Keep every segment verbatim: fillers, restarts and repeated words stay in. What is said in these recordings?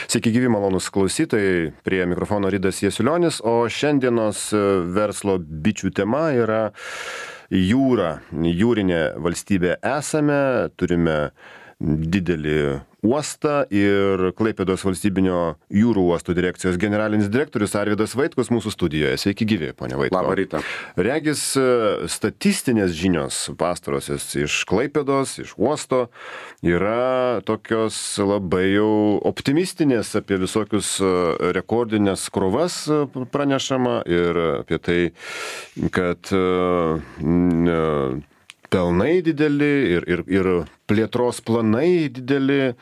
Sveiki gyvi malonūs klausytojai, prie mikrofono Ridas Jasiulionis, o šiandienos verslo bičių tema yra jūra. Jūrinė valstybė esame, turime didelį uostą ir Klaipėdos valstybinio jūrų uostų direkcijos generalinis direktorius Arvydas Vaitkus mūsų studijoje. Sveiki gyvi, ponia Vaitko. Labą rytą. Regis statistinės žinios pastarosios iš Klaipėdos, iš uosto yra tokios labai jau optimistinės, apie visokius rekordinės krovas pranešama ir apie tai, kad n, pelnai dideli ir, ir, ir plėtros planai dideli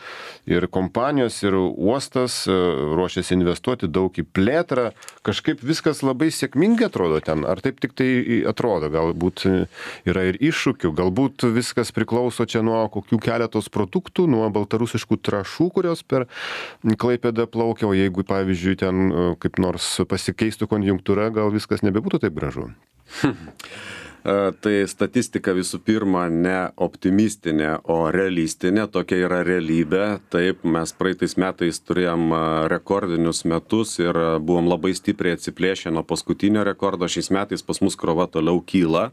ir kompanijos ir uostas ruošiasi investuoti daug į plėtrą. Kažkaip viskas labai sėkmingai atrodo ten. Ar taip tik tai atrodo? Galbūt yra ir iššūkių, galbūt viskas priklauso čia nuo kokių keletos produktų, nuo baltarusiškų trąšų, kurios per Klaipėdą plaukia, o jeigu, pavyzdžiui, ten kaip nors pasikeistų konjunktūra, gal viskas nebebūtų taip gražu. Tai statistika visų pirma ne optimistinė, o realistinė, tokia yra realybė. Taip, mes praeitais metais turėjom rekordinius metus ir buvom labai stipriai atsiplėšę nuo paskutinio rekordo. Šiais metais pas mus krova toliau kyla,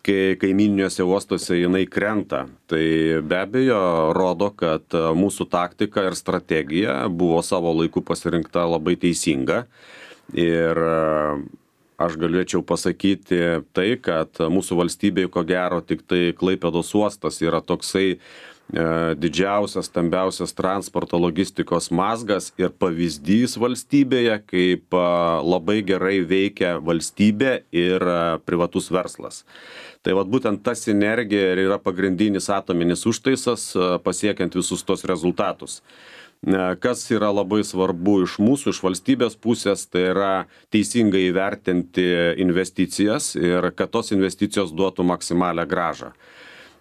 kai kaimininiuose uostuose jinai krenta. Tai be abejo rodo, kad mūsų taktika ir strategija buvo savo laiku pasirinkta labai teisinga. Ir aš galėčiau pasakyti tai, kad mūsų valstybėje, ko gero, tik tai Klaipėdos uostas yra toksai e, didžiausias, stambiausias transporto logistikos mazgas ir pavyzdys valstybėje, kaip a, labai gerai veikia valstybė ir a, privatus verslas. Tai vat būtent ta sinergija ir yra pagrindinis atominis užtaisas a, pasiekiant visus tos rezultatus. Kas yra labai svarbu iš mūsų, iš valstybės pusės, tai yra teisingai įvertinti investicijas ir kad tos investicijos duotų maksimalią grąžą.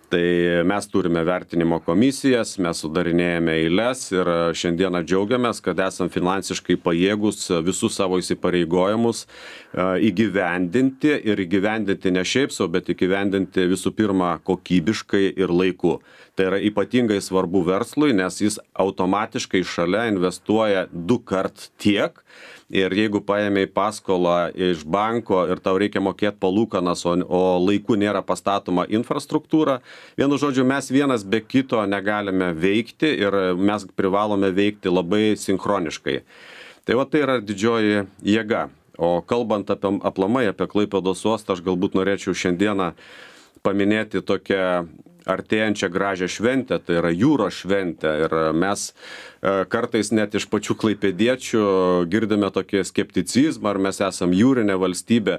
Tai mes turime vertinimo komisijas, mes sudarinėjame eiles ir šiandieną džiaugiamės, kad esam finansiškai pajėgus visus savo įsipareigojimus įgyvendinti ir įgyvendinti ne šiaip sau, bet įgyvendinti visų pirma kokybiškai ir laiku. Tai yra ypatingai svarbu verslui, nes jis automatiškai šalia investuoja du kart tiek. Ir jeigu paėmei paskolą iš banko ir tau reikia mokėti palūkanas, o, o laiku nėra pastatoma infrastruktūra, vienu žodžiu, mes vienas be kito negalime veikti ir mes privalome veikti labai sinchroniškai. Tai va tai yra didžioji jėga. O kalbant apie aplamai apie Klaipėdos uostą, aš galbūt norėčiau šiandieną paminėti tokią artėjančią gražią šventę, tai yra jūros šventę. Ir mes kartais net iš pačių klaipėdiečių girdime tokį skepticizmą, ar mes esam jūrinė valstybė.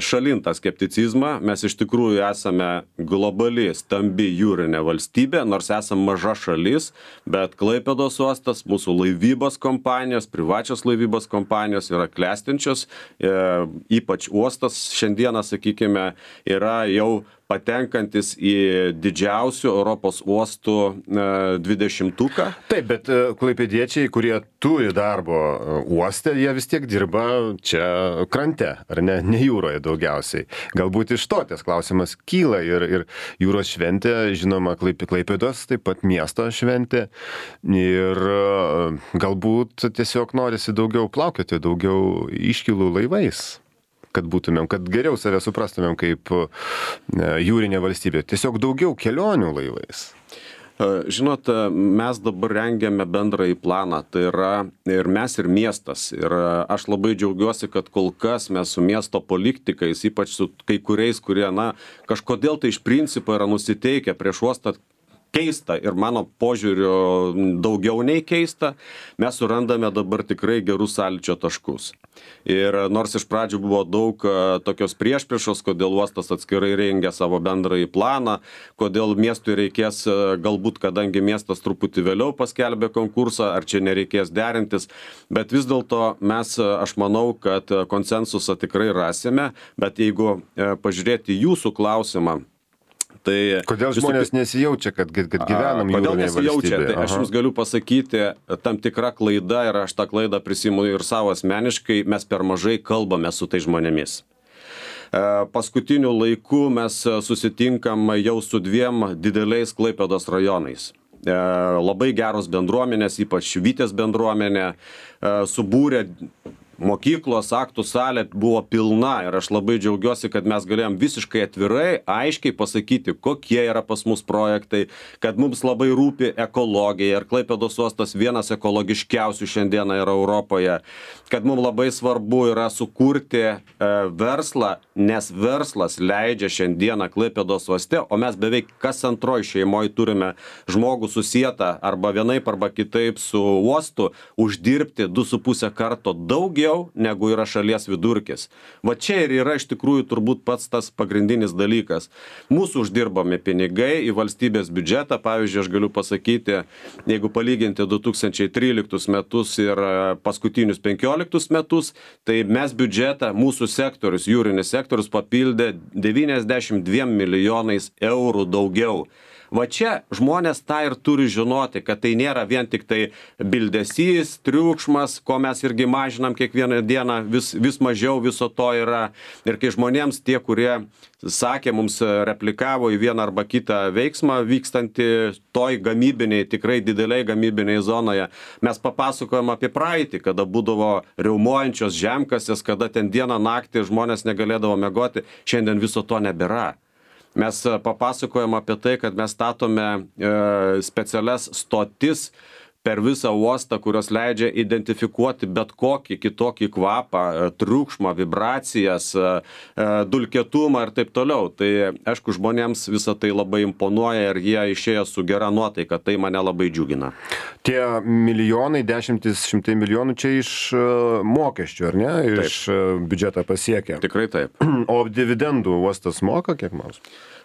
Šalin tą skepticizmą, mes iš tikrųjų esame globali, stambi jūrinė valstybė, nors esam maža šalis, bet Klaipėdos uostas, mūsų laivybos kompanijos, privačios laivybos kompanijos yra klestinčios, e, ypač uostas šiandieną, sakykime, yra jau patenkantis į didžiausių Europos uostų e, dvidešimtuką. Taip, bet klaipėdiečiai, kurie turi darbo uoste, jie vis tiek dirba čia krante, ar ne, ne jūroje daugiausiai. Galbūt iš to tas klausimas kyla ir, ir jūros šventė, žinoma, Klaipėdos, taip pat miesto šventė. Ir galbūt tiesiog norisi daugiau plaukioti, daugiau iškilų laivais, kad būtumėm, kad geriau save suprastumėm kaip jūrinė valstybė. Tiesiog daugiau kelionių laivais. Žinot, mes dabar rengiame bendrąjį planą, tai yra ir mes, ir miestas. Ir aš labai džiaugiuosi, kad kol kas mes su miesto politikais, ypač su kai kuriais, kurie, na, kažkodėl tai iš principo yra nusiteikę prieš uostą keista ir mano požiūriu daugiau nei keista, mes surandame dabar tikrai gerus sąlyčio taškus. Ir nors iš pradžių buvo daug tokios priešpriešos, kodėl uostas atskirai rengia savo bendrąjį planą, kodėl miestui reikės, galbūt kadangi miestas truputį vėliau paskelbė konkursą, ar čia nereikės derintis, bet vis dėlto mes, aš manau, kad konsensusą tikrai rasime, bet jeigu pažiūrėti jūsų klausimą, tai kodėl žmonės nesijaučia, kad, kad gyvenam jūrinėje valstybėje? Tai aš jums galiu pasakyti, tam tikra klaida ir aš tą klaidą prisimu ir savo asmeniškai, mes per mažai kalbame su tai žmonėmis. Paskutiniu laiku mes susitinkam jau su dviem dideliais Klaipėdos rajonais. labai geros bendruomenės, ypač Vytės bendruomenė, subūrė mokyklos, aktų salė buvo pilna ir aš labai džiaugiuosi, kad mes galėjom visiškai atvirai, aiškiai pasakyti, kokie yra pas mus projektai, kad mums labai rūpi ekologija ir Klaipėdos uostas vienas ekologiškiausių šiandieną yra Europoje, kad mums labai svarbu yra sukurti e, verslą, nes verslas leidžia šiandieną Klaipėdos uoste, o mes beveik kas antroj šeimoje turime žmogų susietą arba vienaip arba kitaip su uostu uždirbti du su pusę karto daugiau negu yra šalies vidurkis. Va čia ir yra iš tikrųjų turbūt pats tas pagrindinis dalykas. Mūsų uždirbami pinigai į valstybės biudžetą, pavyzdžiui, aš galiu pasakyti, jeigu palyginti du tūkstančiai tryliktus metus ir paskutinius penkioliktus metus, tai mes biudžetą, mūsų sektorius, jūrinis sektorius papildė devyniasdešimt dviem milijonais eurų daugiau. Va čia žmonės tą ir turi žinoti, kad tai nėra vien tik tai bildesys, triukšmas, ko mes irgi mažinam kiekvieną dieną, vis, vis mažiau viso to yra. Ir kai žmonėms tie, kurie sakė, mums replikavo į vieną arba kitą veiksmą vykstantį toj gamybiniai, tikrai dideliai gamybiniai zonoje, mes papasakojom apie praeitį, kada būdavo riaumojančios žemkasės, kada ten dieną naktį žmonės negalėdavo miegoti, šiandien viso to nebėra. Mes papasakojam apie tai, kad mes statome e, specialias stotis per visą uostą, kurios leidžia identifikuoti bet kokį kitokį kvapą, triukšmą, vibracijas, e, dulkėtumą ir taip toliau. Tai aišku, žmonėms visą tai labai imponuoja ir jie išėjo su gera nuotaika, tai mane labai džiugina. Tie milijonai, dešimtis, šimtai milijonų čia iš mokesčių, ar ne? Iš taip. Biudžetą pasiekia. Tikrai taip. O dividendų uostas moka kiek nors?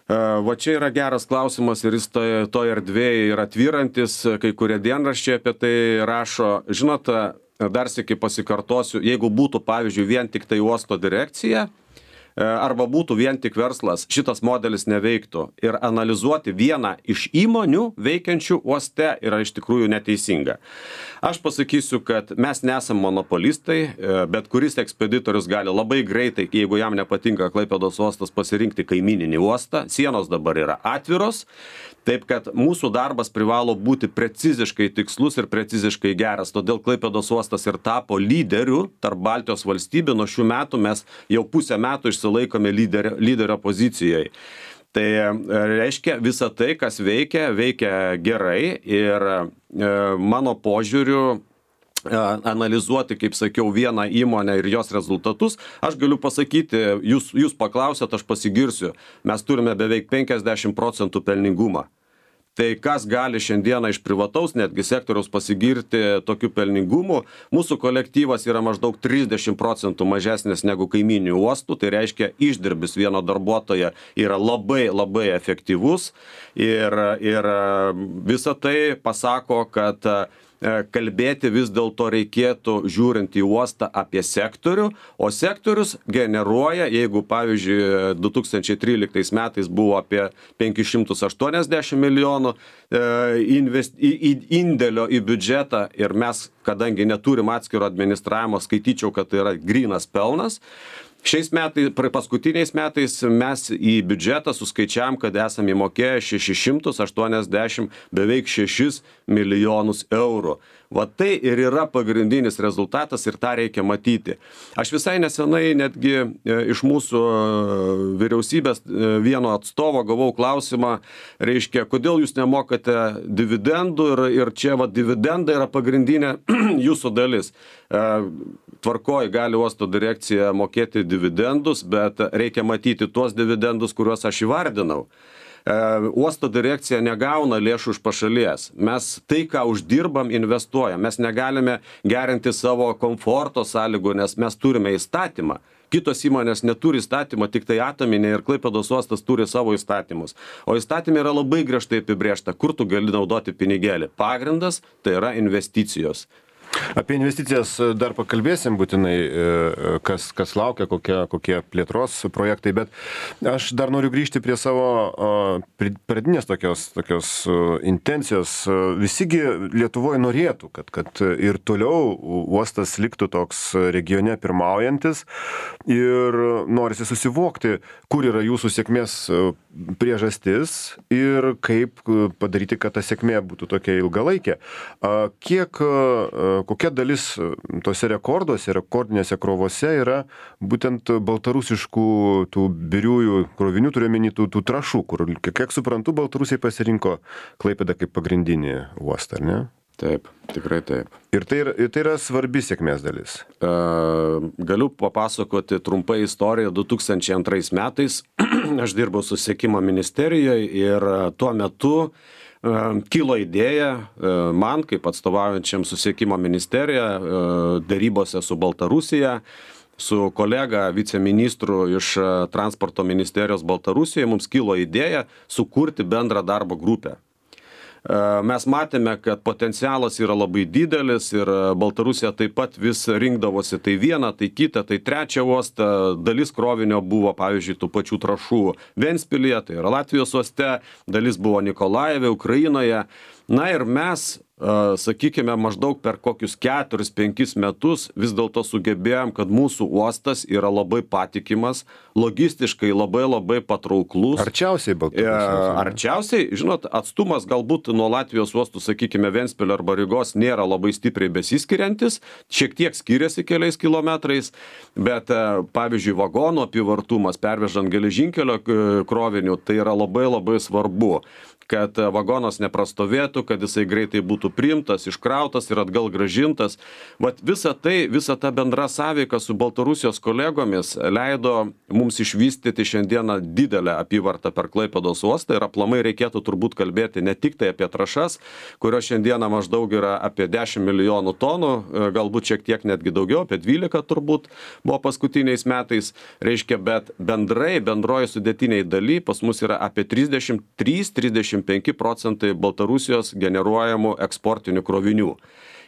Va čia yra geras klausimas ir jis toje to erdvėje yra tvyrantis, kai kurie dienraščiai apie tai rašo. Žinot, dar sykį pasikartosiu, jeigu būtų, pavyzdžiui, vien tik tai uosto direkcija, arba būtų vien tik verslas, šitas modelis neveiktų. Ir analizuoti vieną iš įmonių veikiančių uoste yra iš tikrųjų neteisinga. Aš pasakysiu, kad mes nesam monopolistai, bet kuris ekspeditorius gali labai greitai, jeigu jam nepatinka Klaipėdos uostas, pasirinkti kaimininį uostą. Sienos dabar yra atviros, taip kad mūsų darbas privalo būti preciziškai tikslus ir preciziškai geras. Todėl Klaipėdos uostas ir tapo lyderiu tarp Baltijos valstybių. Nuo šių metų mes jau pusę metų išsilaikome lyderio, lyderio pozicijoje. Tai reiškia, visa tai, kas veikia, veikia gerai ir e, mano požiūriu analizuoti, kaip sakiau, vieną įmonę ir jos rezultatus, aš galiu pasakyti, jūs, jūs paklausėt, aš pasigirsiu, mes turime beveik penkiasdešimt procentų pelningumą. Tai kas gali šiandieną iš privataus netgi sektoriaus pasigirti tokiu pelningumu, mūsų kolektyvas yra maždaug trisdešimt procentų mažesnis negu kaiminių uostų, tai reiškia išdirbis vieno darbuotojo yra labai labai efektyvus ir, ir visa tai pasako, kad kalbėti vis dėlto reikėtų žiūrint į uostą apie sektorių, o sektorius generuoja, jeigu pavyzdžiui du tūkstančiai tryliktais metais buvo apie penkis šimtus aštuoniasdešimt milijonų invest, indėlio į biudžetą ir mes, kadangi neturim atskiro administravimo, skaityčiau, kad tai yra grynas pelnas. Šiais metais, paskutiniais metais mes į biudžetą suskaičiavam, kad esame įmokėję šešis šimtus aštuoniasdešimt beveik šešis milijonus eurų. Va tai ir yra pagrindinis rezultatas ir tą reikia matyti. Aš visai nesenai netgi iš mūsų vyriausybės vieno atstovo gavau klausimą, reiškia, kodėl jūs nemokate dividendų ir, ir čia va dividendai yra pagrindinė jūsų dalis. Tvarkoj gali uosto direkcija mokėti dividendus, bet reikia matyti tuos dividendus, kuriuos aš įvardinau. Uosto direkcija negauna lėšų iš pašalies. Mes tai, ką uždirbam, investuojam. Mes negalime gerinti savo komforto sąlygų, nes mes turime įstatymą. Kitos įmonės neturi įstatymą, tik tai Atominė ir Klaipėdos uostas turi savo įstatymus. O įstatymė yra labai griežtai apibrėžta, kur tu gali naudoti pinigėlį. Pagrindas tai yra investicijos. Apie investicijas dar pakalbėsim būtinai, kas, kas laukia, kokie, kokie plėtros projektai, bet aš dar noriu grįžti prie savo pradinės tokios, tokios intencijos. Visigi Lietuvoje norėtų, kad, kad ir toliau uostas liktų toks regione pirmaujantis ir norisi susivokti, kur yra jūsų sėkmės priežastis ir kaip padaryti, kad ta sėkmė būtų tokia ilgalaikė. Kiek kokia dalis tose rekorduose, rekordinėse krovose yra būtent baltarusiškų tų biriųjų krovinių, turiuomenį tų, tų trašų, kur, kiek suprantu, baltarusiai pasirinko Klaipėdą kaip pagrindinį uostą, ar ne? Taip, tikrai taip. Ir tai, ir tai yra svarbi sėkmės dalis. E, galiu papasakoti trumpai istoriją. du tūkstančiai antrais metais aš dirbau susisiekimo ministerijoje ir tuo metu kilo idėja man, kaip atstovaujančiam susisiekimo ministeriją, darybose su Baltarusija, su kolega viceministru iš transporto ministerijos Baltarusijoje, mums kilo idėja sukurti bendrą darbo grupę. Mes matėme, kad potencialas yra labai didelis ir Baltarusija taip pat vis rinkdavosi tai vieną, tai kitą, tai trečią uostą. Dalis krovinio buvo, pavyzdžiui, tų pačių trašų Ventspilyje, tai yra Latvijos uoste, dalis buvo Nikolajeve, Ukrainoje. Na ir mes, sakykime, maždaug per kokius keturis penkis metus vis dėlto sugebėjom, kad mūsų uostas yra labai patikimas, logistiškai labai labai patrauklus. Arčiausiai Baltarusijos. Arčiausiai, žinot, atstumas galbūt nuo Latvijos uostų, sakykime, Ventspilio arba Rygos nėra labai stipriai besiskiriantis, šiek tiek skiriasi keliais kilometrais, bet pavyzdžiui, vagonų apyvartumas pervežant geležinkelio krovinių, tai yra labai labai svarbu, kad vagonas neprastovėtų, kad jisai greitai būtų priimtas, iškrautas ir atgal gražintas. Vat visa tai, visa ta bendra sąveika su Baltarusijos kolegomis leido mums išvystyti šiandieną didelę apyvartą per Klaipėdos uostą ir aplamai reikėtų turbūt kalbėti ne tik tai apie trašas, kurios šiandieną maždaug yra apie dešimt milijonų tonų, galbūt šiek tiek netgi daugiau, apie dvylika turbūt buvo paskutiniais metais, reiškia, bet bendrai, bendroji sudėtiniai daly pas mus yra apie trisdešimt trys trisdešimt penki procentai Baltarusijos generuojamų eksportinių krovinių.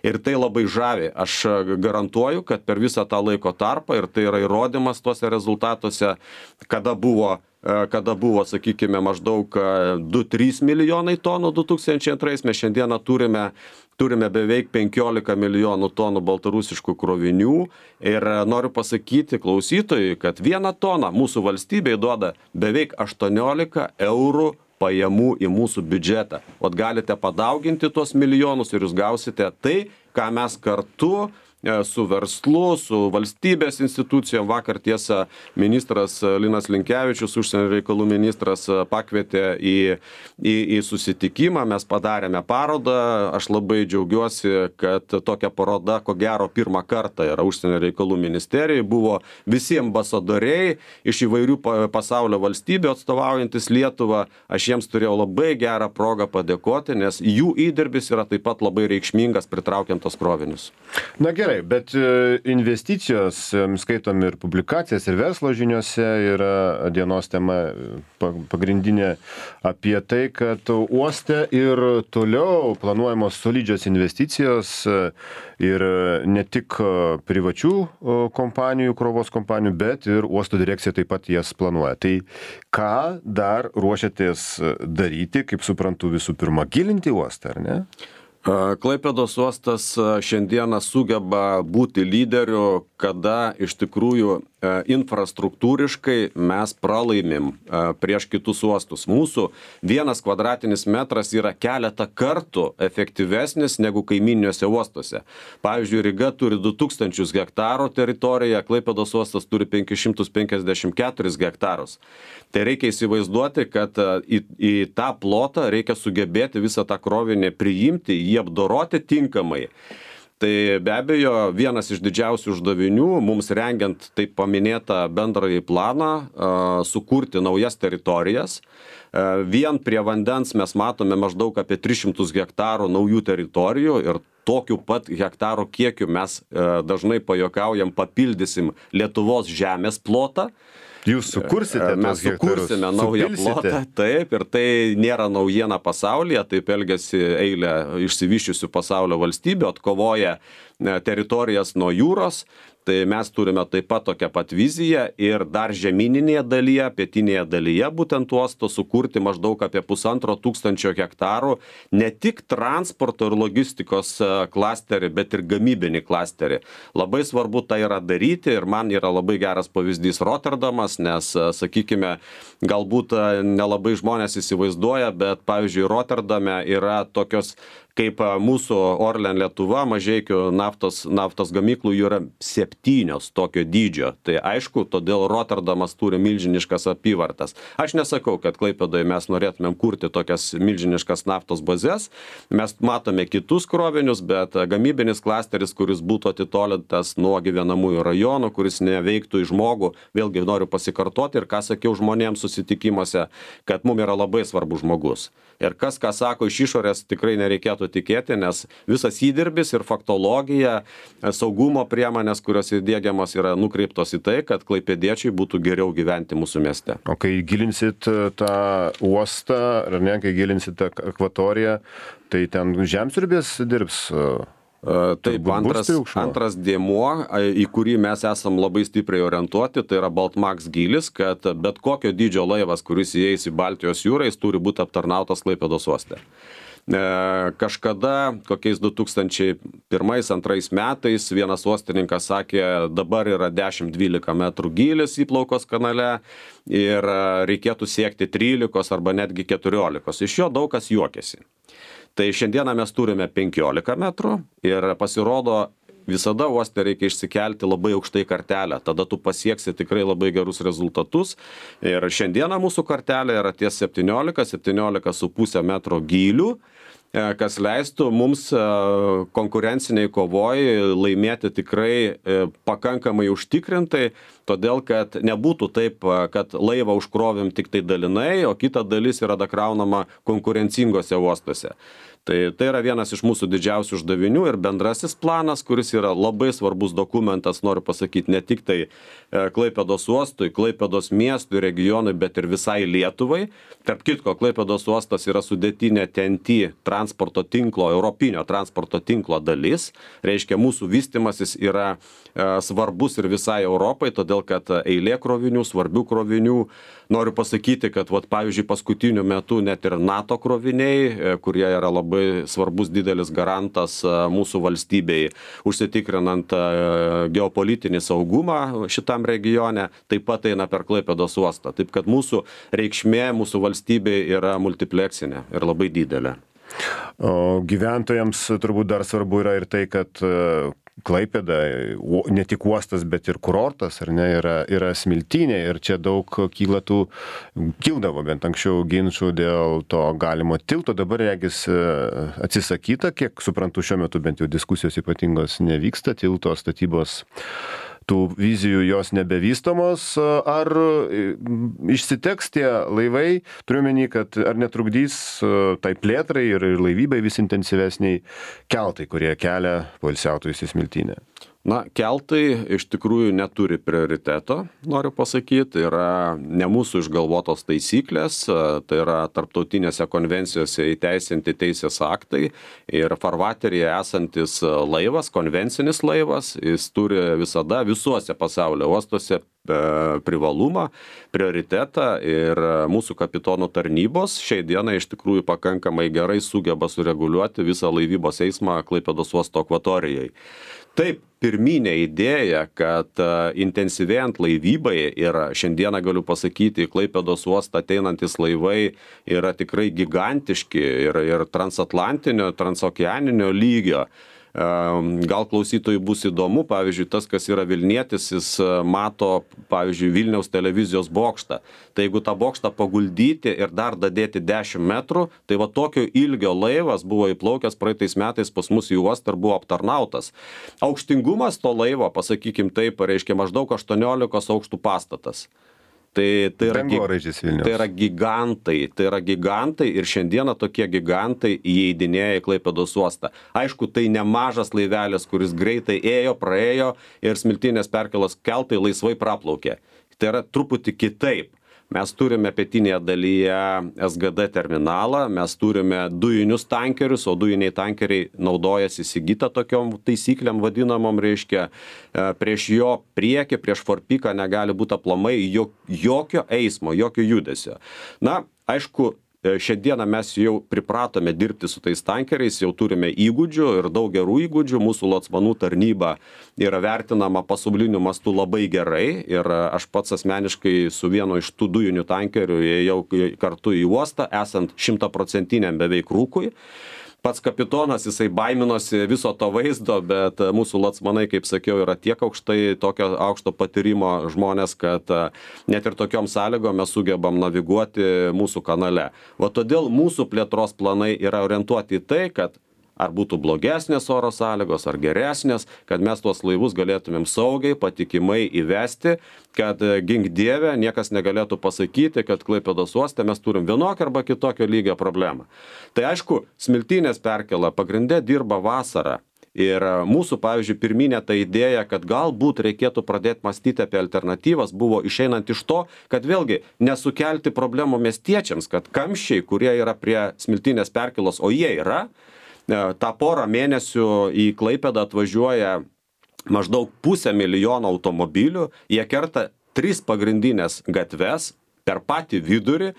Ir tai labai žavi. Aš garantuoju, kad per visą tą laiko tarpą, ir tai yra įrodymas tuose rezultatuose, kada buvo, kada buvo, sakykime, maždaug du trys milijonai tonų du tūkstančiai antrais, mes šiandieną turime, turime beveik penkiolika milijonų tonų baltarusiškų krovinių. Ir noriu pasakyti klausytojui, kad vieną toną mūsų valstybei duoda beveik aštuoniolika eurų pajamų į mūsų biudžetą. Ot galite padauginti tuos milijonus ir jūs gausite tai, ką mes kartu su verslu, su valstybės institucijom. Vakar tiesa ministras Linas Linkevičius, užsienio reikalų ministras, pakvietė į, į, į susitikimą. Mes padarėme parodą. Aš labai džiaugiuosi, kad tokia paroda, ko gero, pirmą kartą yra užsienio reikalų ministerijai. Buvo visi ambasadoriai iš įvairių pasaulio valstybių atstovaujantis Lietuvą. Aš jiems turėjau labai gerą progą padėkoti, nes jų įdirbis yra taip pat labai reikšmingas pritraukiant tos krovinius. Na gerai. Bet investicijos, skaitom ir publikacijas, ir verslo žiniuose yra dienos tema pagrindinė apie tai, kad uoste ir toliau planuojamos solidžios investicijos ir ne tik privačių kompanijų, krovos kompanijų, bet ir uosto direkcija taip pat jas planuoja. Tai ką dar ruošiatės daryti, kaip suprantu, visų pirma, gilinti uostą, ar ne? Klaipėdos uostas šiandieną sugeba būti lyderiu, kada iš tikrųjų infrastruktūriškai mes pralaimim prieš kitus uostus. Mūsų vienas kvadratinis metras yra keletą kartų efektyvesnis negu kaiminiuose uostuose. Pavyzdžiui, Ryga turi du tūkstančius hektarų teritoriją, Klaipėdos uostas turi penkis šimtus penkiasdešimt keturis hektarus. Tai reikia įsivaizduoti, kad į, į tą plotą reikia sugebėti visą tą krovinį priimti, jį apdoroti tinkamai. Tai be abejo, vienas iš didžiausių uždavinių mums rengiant taip paminėtą bendrąjį planą, sukurti naujas teritorijas. Vien prie vandens mes matome maždaug apie tris šimtus hektarų naujų teritorijų ir tokiu pat hektarų kiekiu mes dažnai pajuokaujam papildysim Lietuvos žemės plotą. Jūs sukursite mes sukursime naują plotą, taip, ir tai nėra naujiena pasaulyje, taip elgiasi eilė išsivyščiusių pasaulio valstybių, atkovoja teritorijas nuo jūros. Tai mes turime taip pat tokią pat viziją ir dar žemyninėje dalyje, pietinėje dalyje būtent uosto sukurti maždaug apie pusantro tūkstančio hektarų ne tik transporto ir logistikos klasterį, bet ir gamybinį klasterį. Labai svarbu tai yra daryti ir man yra labai geras pavyzdys Rotterdamas, nes, sakykime, galbūt nelabai žmonės įsivaizduoja, bet pavyzdžiui, Rotterdame yra tokios kaip mūsų Orlen Lietuva, Mažeikių naftos, naftos gamyklų jų yra septynios tokio dydžio. Tai aišku, todėl Rotterdamas turi milžiniškas apyvartas. Aš nesakau, kad Klaipėdoje mes norėtumėm kurti tokias milžiniškas naftos bazės. Mes matome kitus krovinius, bet gamybinis klasteris, kuris būtų atitolintas nuo gyvenamųjų rajonų, kuris neveiktų į žmogų, vėlgi noriu pasikartoti ir ką sakiau žmonėms susitikimuose, kad mums yra labai svarbus žmogus. Ir kas, ką sako iš išorės, tikrai nereikėtų tikėti, nes visas įdirbis ir faktologija, saugumo priemonės, kurios įdiegiamos yra nukreiptos į tai, kad klaipėdiečiai būtų geriau gyventi mūsų mieste. O kai gilinsit tą uostą, ar ne, kai gilinsit tą akvatoriją, tai ten žemsiurbės dirbs? Taip, antras, antras dėmuo, į kurį mes esam labai stipriai orientuoti, tai yra Baltmax gylis, kad bet kokio dydžio laivas, kuris įeis į Baltijos jūrą, jis turi būti aptarnautas Klaipėdos uoste. Kažkada, kokiais du tūkstančiai pirmais antrais metais, vienas uostininkas sakė, dabar yra dešimt dvylika metrų gylis įplaukos kanale ir reikėtų siekti trylikos arba netgi keturiolikos. Iš jo daug kas juokėsi. Tai šiandieną mes turime penkiolika metrų ir pasirodo, visada uoste reikia išsikelti labai aukštai kartelę, tada tu pasieksi tikrai labai gerus rezultatus. Ir šiandieną mūsų kartelė yra ties septyniolika, septyniolika su pusė metro gylių, kas leistų mums konkurenciniai kovoj laimėti tikrai pakankamai užtikrintai, todėl kad nebūtų taip, kad laivą užkrovim tik tai dalinai, o kita dalis yra dakraunama konkurencingose uostuose. Tai, tai yra vienas iš mūsų didžiausių uždavinių ir bendrasis planas, kuris yra labai svarbus dokumentas, noriu pasakyti, ne tik tai Klaipėdos uostui, Klaipėdos miestui, regionui, bet ir visai Lietuvai. Tarp kitko, Klaipėdos uostas yra sudėtinė T N T transporto tinklo, europinio transporto tinklo dalis. Reiškia, mūsų vystimasis yra e, svarbus ir visai Europai, todėl kad eilė krovinių, svarbių krovinių. Noriu pasakyti, kad, vat, pavyzdžiui, paskutiniu metu net ir NATO kroviniai, kurie yra labai svarbus didelis garantas mūsų valstybei, užsitikrinant geopolitinį saugumą šitam regione, taip pat eina per Klaipėdos uostą. Taip kad mūsų reikšmė mūsų valstybei yra multipleksinė ir labai didelė. O gyventojams turbūt dar svarbu yra ir tai, kad Klaipėda, ne tik uostas, bet ir kurortas, ar ne, yra, yra smiltynė ir čia daug kyla tų, kildavo bent anksčiau ginčų dėl to galimo tilto, dabar regis atsisakyta, kiek suprantu šiuo metu bent jau diskusijos ypatingos nevyksta, tilto statybos tų vizijų jos nebevystomos, ar išsiteks tie laivai, turiu menį, kad ar netrukdys tai plėtrai ir laivybai vis intensyvesniai keltai, kurie kelia poilsiautojus į smiltynę? Na, keltai iš tikrųjų neturi prioriteto, noriu pasakyti, yra ne mūsų išgalvotos taisyklės, tai yra tarptautinėse konvencijose įteisinti teisės aktai ir farvateryje esantis laivas, konvencinis laivas, jis turi visada visuose pasaulio uostuose privalumą, prioritetą ir mūsų kapitonų tarnybos šiai dienai iš tikrųjų pakankamai gerai sugeba sureguliuoti visą laivybos eismą Klaipėdos uosto akvatorijai. Taip, pirminė idėja, kad intensyvėjant laivybai ir šiandieną galiu pasakyti, Klaipėdos uostą ateinantis laivai yra tikrai gigantiški ir, ir transatlantinio, transokeaninio lygio. Gal klausytojui bus įdomu, pavyzdžiui, tas, kas yra Vilnietis, jis mato, pavyzdžiui, Vilniaus televizijos bokštą. Tai jeigu tą bokštą paguldyti ir dar dadėti dešimt metrų, tai va tokio ilgio laivas buvo įplaukęs praeitais metais pas mus į uostą ir buvo aptarnautas. Aukštingumas to laivo, pasakykim taip, reiškia maždaug aštuoniolikos aukštų pastatas. Tai, tai, yra, tai yra gigantai, tai yra gigantai ir šiandieną tokie gigantai įeidinėja į Klaipėdos uostą. Aišku, tai nemažas laivelis, kuris greitai ėjo, praėjo ir smiltynės perkelos keltai laisvai praplaukė. Tai yra truputį kitaip. Mes turime pietinėje dalyje S G D terminalą, mes turime dujinius tankerius, o dujiniai tankeriai naudojasi įsigyta tokiom taisyklėm vadinamom, reiškia, prieš jo priekį, prieš forpiką negali būti aplamai jokio eismo, jokio judesio. Na, aišku, šiandieną mes jau pripratome dirbti su tais tankeriais, jau turime įgūdžių ir daug gerų įgūdžių, mūsų locmanų tarnyba yra vertinama pasauliniu mastu labai gerai ir aš pats asmeniškai su vienu iš tų dujinių tankerių ėjau kartu į uostą, esant šimtaprocentiniam beveik rūkui. Pats kapitonas, jisai baiminosi viso to vaizdo, bet mūsų locmanai, kaip sakiau, yra tiek aukštai, tokio aukšto patyrimo žmonės, kad net ir tokiom sąlygom mes sugebam naviguoti mūsų kanale. Va todėl mūsų plėtros planai yra orientuoti į tai, kad ar būtų blogesnės oro sąlygos, ar geresnės, kad mes tuos laivus galėtumėm saugiai, patikimai įvesti, kad gink dieve niekas negalėtų pasakyti, kad Klaipėdos uoste mes turim vienokio arba kitokio lygio problemą. Tai aišku, Smiltynės perkėla pagrinde dirba vasarą. Ir mūsų, pavyzdžiui, pirminė ta idėja, kad galbūt reikėtų pradėti mąstyti apie alternatyvas, buvo išeinant iš to, kad vėlgi nesukelti problemų miestiečiams, kad kamščiai, kurie yra prie Smiltynės perkėlos, o jie yra, tą porą mėnesių į Klaipėdą atvažiuoja maždaug pusę milijono automobilių, jie kerta tris pagrindinės gatves per patį vidurį.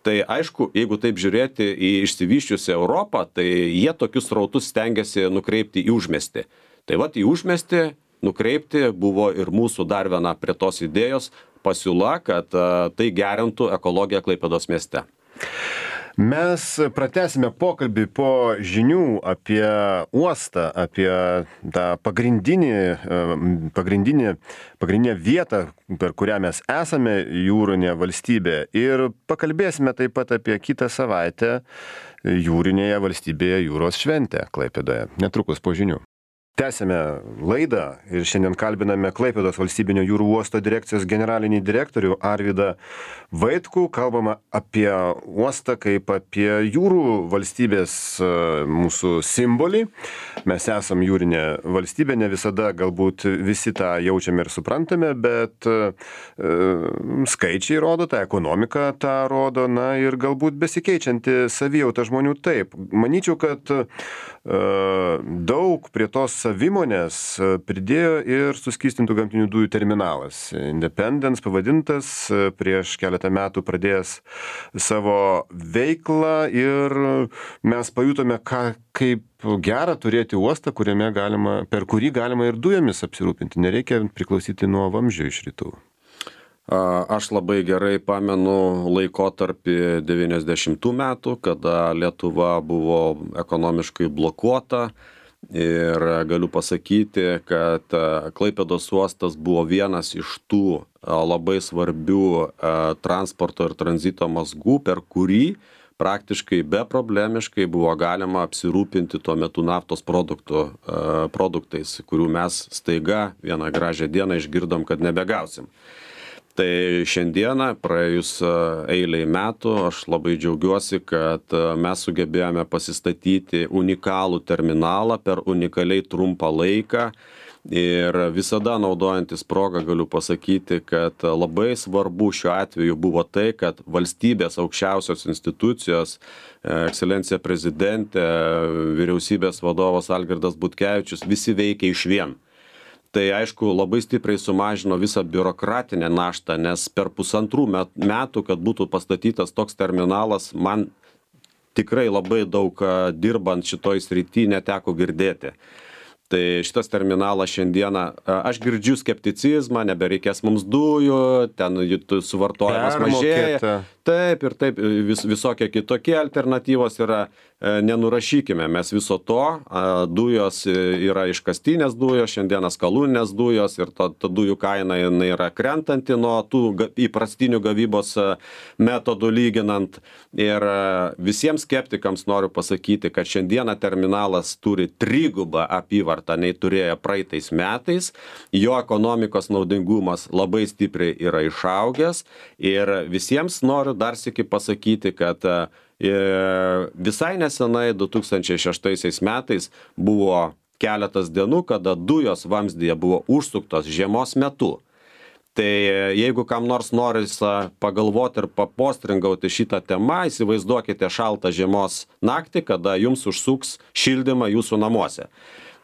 Tai aišku, jeigu taip žiūrėti į išsivysčiusią Europą, tai jie tokius srautus stengiasi nukreipti į užmiestį. Tai vat į užmiestį nukreipti buvo ir mūsų dar viena prie tos idėjos pasiūla, kad tai gerintų ekologiją Klaipėdos mieste. Mes pratęsime pokalbį po žinių apie uostą, apie tą pagrindinį, pagrindinį, pagrindinę vietą, per kurią mes esame jūrinė valstybė. Ir pakalbėsime taip pat apie kitą savaitę jūrinėje valstybėje jūros šventę Klaipėdoje. Netrukus po žinių. Tęsime laidą ir šiandien kalbiname Klaipėdos valstybinio jūrų uosto direkcijos generalinį direktorių Arvydą Vaitkų. Kalbama apie uostą kaip apie jūrų valstybės mūsų simbolį. Mes esam jūrinė valstybė, ne visada galbūt visi tą jaučiame ir suprantame, bet e, skaičiai rodo, ta ekonomika tą rodo, na ir galbūt besikeičianti savijauta žmonių taip. Manyčiau, kad e, daug prie tos savimonės pridėjo ir suskystintų gamtinių dujų terminalas. Independence pavadintas, prieš keletą metų pradėjęs savo veiklą ir mes pajutome, ką, kaip gera turėti uostą, kuriame galima, per kurį galima ir dujomis apsirūpinti. Nereikia priklausyti nuo vamzdžio iš rytų. Aš labai gerai pamenu laikotarpį devyniasdešimtų metų, kada Lietuva buvo ekonomiškai blokuota. Ir galiu pasakyti, kad Klaipėdos uostas buvo vienas iš tų labai svarbių transporto ir tranzito mazgų, per kurį praktiškai beproblemiškai buvo galima apsirūpinti tuo metu naftos produktų, produktais, kurių mes staiga vieną gražią dieną išgirdom, kad nebegausim. Tai šiandieną, praėjus eilei metų, aš labai džiaugiuosi, kad mes sugebėjome pasistatyti unikalų terminalą per unikaliai trumpą laiką. Ir visada naudojantis progą galiu pasakyti, kad labai svarbu šiuo atveju buvo tai, kad valstybės aukščiausios institucijos, ekscelencija prezidentė, vyriausybės vadovas Algirdas Butkevičius, visi veikia išvien. Tai aišku, labai stipriai sumažino visą biurokratinę naštą, nes per pusantrų metų, kad būtų pastatytas toks terminalas, man tikrai labai daug dirbant šitoj srity neteko girdėti. Tai šitas terminalas šiandieną, aš girdžiu skepticizmą, nebereikės mums dujų, ten suvartojimas mažėja. Taip ir taip, vis, visokie kitokie alternatyvos yra, nenurašykime mes viso to, dujos yra iškastinės dujos, šiandieną skalūninės dujos ir ta, ta dujų kaina jinai yra krentanti nuo tų įprastinių gavybos metodų lyginant. Ir visiems skeptikams noriu pasakyti, kad šiandieną terminalas turi trigubą apyvartą nei turėjo praeitais metais, jo ekonomikos naudingumas labai stipriai yra išaugęs ir visiems noriu dar sykį pasakyti, kad visai nesenai du tūkstančiai šeštaisiais metais buvo keletas dienų, kada dujos vamzdyje buvo užsuktos žiemos metu. Tai jeigu kam nors noris pagalvoti ir papostringauti šitą temą, įsivaizduokite šaltą žiemos naktį, kada jums užsuks šildymą jūsų namuose.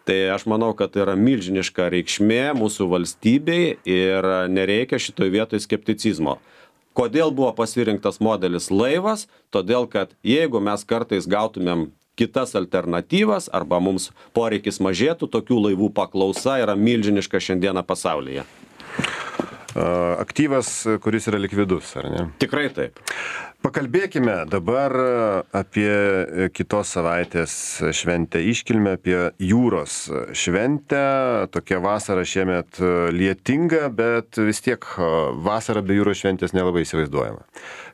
Tai aš manau, kad tai yra milžiniška reikšmė mūsų valstybei ir nereikia šitoj vietoj skepticizmo. Kodėl buvo pasirinktas modelis laivas? Todėl, kad jeigu mes kartais gautumėm kitas alternatyvas arba mums poreikis mažėtų, tokių laivų paklausa yra milžiniška šiandieną pasaulyje. Aktyvas, kuris yra likvidus, ar ne? Tikrai taip. Pakalbėkime dabar apie kitos savaitės šventę iškilmę, apie jūros šventę. Tokia vasara šiemet lietinga, bet vis tiek vasara be jūros šventės nelabai įsivaizduojama.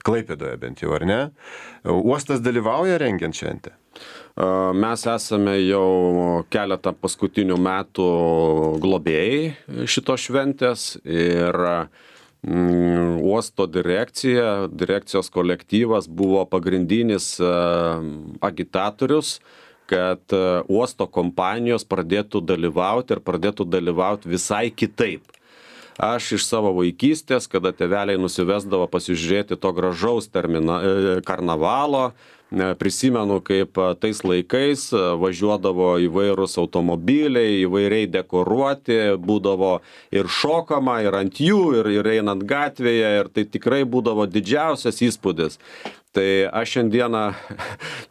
Klaipėdoje bent jau, ar ne? Uostas dalyvauja rengiant šventę? Mes esame jau keletą paskutinių metų globėjai šitos šventės ir mm, uosto direkcija, direkcijos kolektyvas buvo pagrindinis agitatorius, kad uosto kompanijos pradėtų dalyvauti ir pradėtų dalyvauti visai kitaip. Aš iš savo vaikystės, kada tėveliai nusivesdavo pasižiūrėti to gražaus termina, karnavalo, prisimenu, kaip tais laikais važiuodavo įvairūs automobiliai, įvairiai dekoruoti, būdavo ir šokama, ir ant jų, ir, ir einant gatvėje, ir tai tikrai būdavo didžiausias įspūdis. Tai aš šiandieną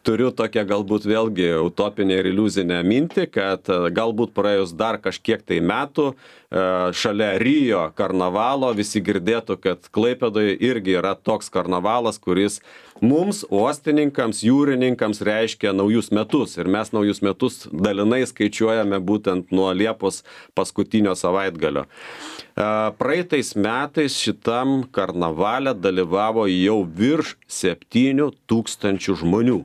turiu tokią galbūt vėlgi utopinę ir iliuzinę mintį, kad galbūt praėjus dar kažkiek tai metų šalia Rio karnavalo visi girdėtų, kad Klaipėdoje irgi yra toks karnavalas, kuris mums, uostininkams, jūrininkams reiškia naujus metus. Ir mes naujus metus dalinai skaičiuojame būtent nuo Liepos paskutinio savaitgalio. Praeitais metais šitam karnavale dalyvavo jau virš septynių tūkstančių žmonių.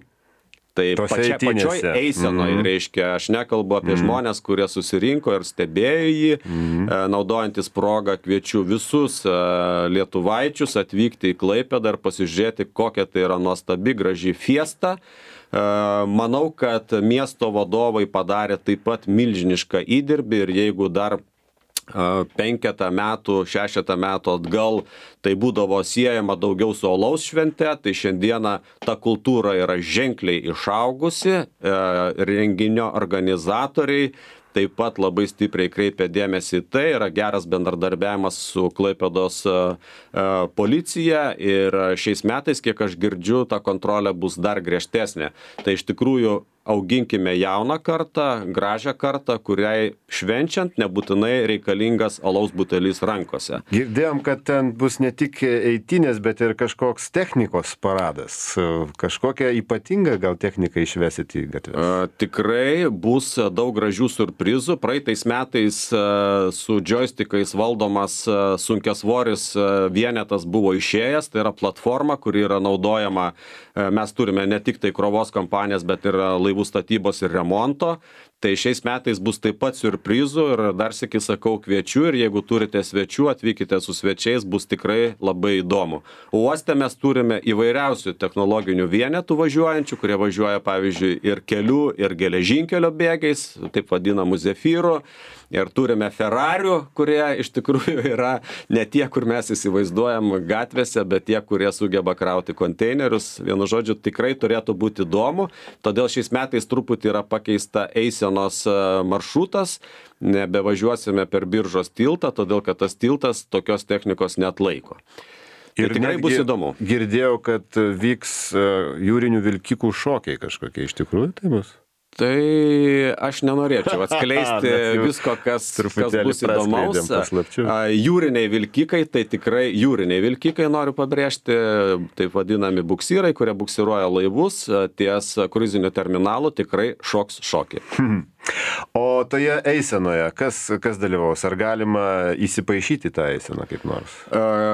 Tai pačia, pačioj eisenoje, mm-hmm. reiškia, aš nekalbu apie mm-hmm. žmonės, kurie susirinko ir stebėjo jį, mm-hmm. naudojantis progą kviečiu visus lietuvaičius atvykti į Klaipėdą ir pasižiūrėti, kokia tai yra nuostabi, graži fiesta. Manau, kad miesto vadovai padarė taip pat milžinišką įdirbį ir jeigu dar penketą metų, šešetą metų atgal tai būdavo siejama daugiau su alaus švente, tai šiandieną ta kultūra yra ženkliai išaugusi, renginio organizatoriai taip pat labai stipriai kreipia dėmesį į tai, yra geras bendradarbiavimas su Klaipėdos policija ir šiais metais, kiek aš girdžiu, ta kontrolė bus dar griežtesnė. Tai iš tikrųjų auginkime jauną kartą, gražią kartą, kuriai švenčiant nebūtinai reikalingas alaus butelis rankose. Girdėjom, kad ten bus ne tik eitynės, bet ir kažkoks technikos paradas. Kažkokią ypatingą gal techniką išvesit į gatves? Tikrai bus daug gražių surprizų. Praeitais metais su joystickais valdomas sunkiasvoris vienetas buvo išėjęs. Tai yra platforma, kuri yra naudojama. Mes turime ne tik tai krovos kompanijas, bet ir laivų statybos ir remonto. Tai šiais metais bus taip pat siurprizų ir dar sykį sakau kviečiu ir jeigu turite svečių, atvykite su svečiais, bus tikrai labai įdomu. Uoste mes turime įvairiausių technologinių vienetų važiuojančių, kurie važiuoja pavyzdžiui ir kelių, ir geležinkelio bėgiais, taip vadinamų zefyrų. Ir turime Ferrarių, kurie iš tikrųjų yra ne tie, kur mes įsivaizduojam gatvėse, bet tie, kurie sugeba krauti konteinerius. Vienu žodžiu, tikrai turėtų būti įdomu. Todėl šiais metais truputį yra pakeista eisenos maršrutas. Nebevažiuosime per Biržos tiltą, todėl kad tas tiltas tokios technikos neatlaiko. Ir tai tikrai bus įdomu. Girdėjau, kad vyks jūrinių vilkikų šokiai kažkokie. Iš tikrųjų tai bus? Tai aš nenorėčiau atskleisti visko, kas, kas bus įdomaus. Jūriniai vilkikai, tai tikrai jūriniai vilkikai, noriu pabrėžti, taip vadinami buksyrai, kurie buksiruoja laivus ties kruiziniu terminalu, tikrai šoks šokį. O toje eisenoje, kas, kas dalyvaus? Ar galima įsipaišyti tą eiseną kaip nors?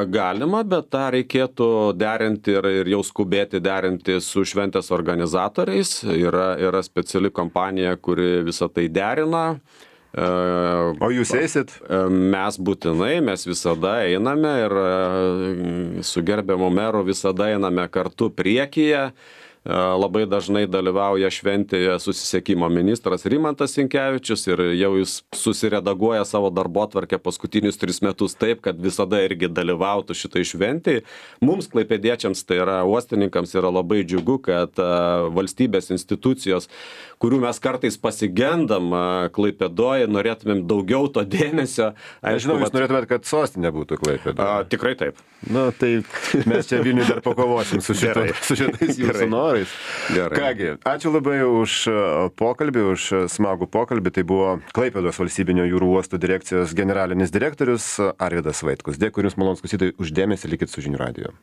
Galima, bet tą reikėtų derinti ir, ir jau skubėti derinti su šventės organizatoriais. Yra, yra speciali kompanija, kuri visą tai derina. O jūs eisit? Mes būtinai, mes visada einame ir su gerbiamu meru visada einame kartu priekyje. labai dažnai dalyvauja šventėje susisiekimo ministras Rimantas Sinkevičius ir jau jis susiredaguoja savo darbotvarkę paskutinius tris metus taip, kad visada irgi dalyvautų šitai šventėje. Mums klaipėdiečiams, tai yra uostininkams, yra labai džiugu, kad valstybės institucijos, kurių mes kartais pasigendam Klaipėdoje, norėtumėm daugiau to dėmesio. Aš žinau, jūs norėtumėt, kad sostinė būtų Klaipėda. A, tikrai taip. Na, tai mes čia Vilniuje dar pakovosim su, šito, su šitais jūsų norais. Gerai. Kągi, ačiū labai už pokalbį, už smagų pokalbį. Tai buvo Klaipėdos valstybinio jūrų uostų direkcijos generalinis direktorius Arvydas Vaitkus. Dėkui Jums, malonūs klausytojai, už dėmesį, likit su Žinių radiju.